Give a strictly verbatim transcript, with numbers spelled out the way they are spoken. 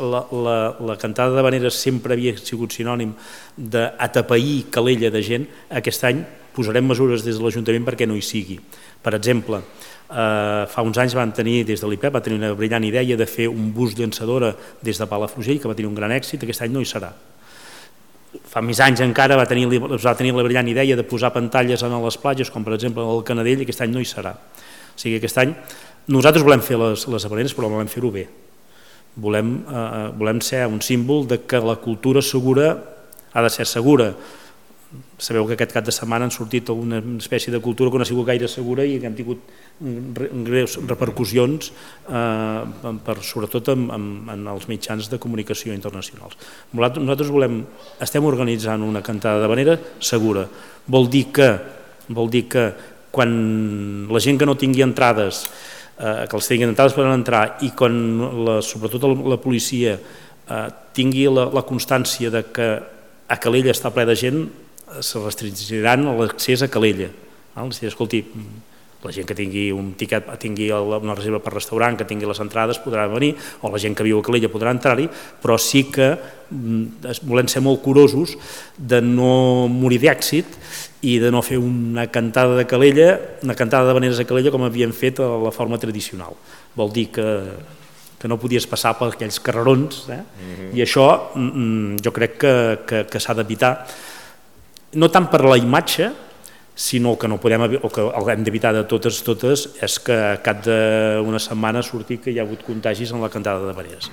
la, la, la cantada d'havaneres sempre havia sigut sinònim d'atapeir calella de gent. Aquest any posarem mesures des de l'Ajuntament perquè no hi sigui. Per exemple, eh, fa uns anys van tenir, des de l'I P E P, va tenir una brillant idea de fer un bus llançadora des de Palafrugell, que va tenir un gran èxit. Aquest any no hi serà. Fa més anys encara va tenir, va tenir la brillant idea de posar pantalles a les platges, com per exemple al Canadell, i aquest any no hi serà. O sigui, aquest any nosaltres volem fer les, les havaneres, però volem fer-ho bé. Volem, eh, volem ser un símbol de que la cultura segura ha de ser segura. Sabeu que aquest cap de setmana han sortit una espècie de cultura que no ha sigut gaire segura i que hem tingut greus repercussions, eh, per, sobretot en, en, en els mitjans de comunicació internacionals. Nosaltres volem, estem organitzant una cantada d'havanera segura. Vol dir que, vol dir que quan la gent que no tingui entrades, eh, que els tinguin entrades poden entrar, i quan la, sobretot la policia eh, tingui la, la constància de que a Calella està ple de gent, se restringiran l'accés a Calella. Escolti, la gent que tingui un tiquet, tingui una reserva per restaurant, que tingui les entrades, podrà venir, o la gent que viu a Calella podrà entrar-hi, però sí que volem ser molt curosos de no morir d'èxit i de no fer una cantada de Calella, una cantada d'havaneres a Calella com havíem fet a la forma tradicional. Vol dir que que no podies passar per aquells carrerons, eh? Mm-hmm. I això mm, jo crec que, que, que s'ha d'evitar, no tant per la imatge, sinó que no podem, o que hem d'evitar de totes, totes, és que a cap d'una setmana surti que hi ha hagut contagis en la cantada d'havaneres.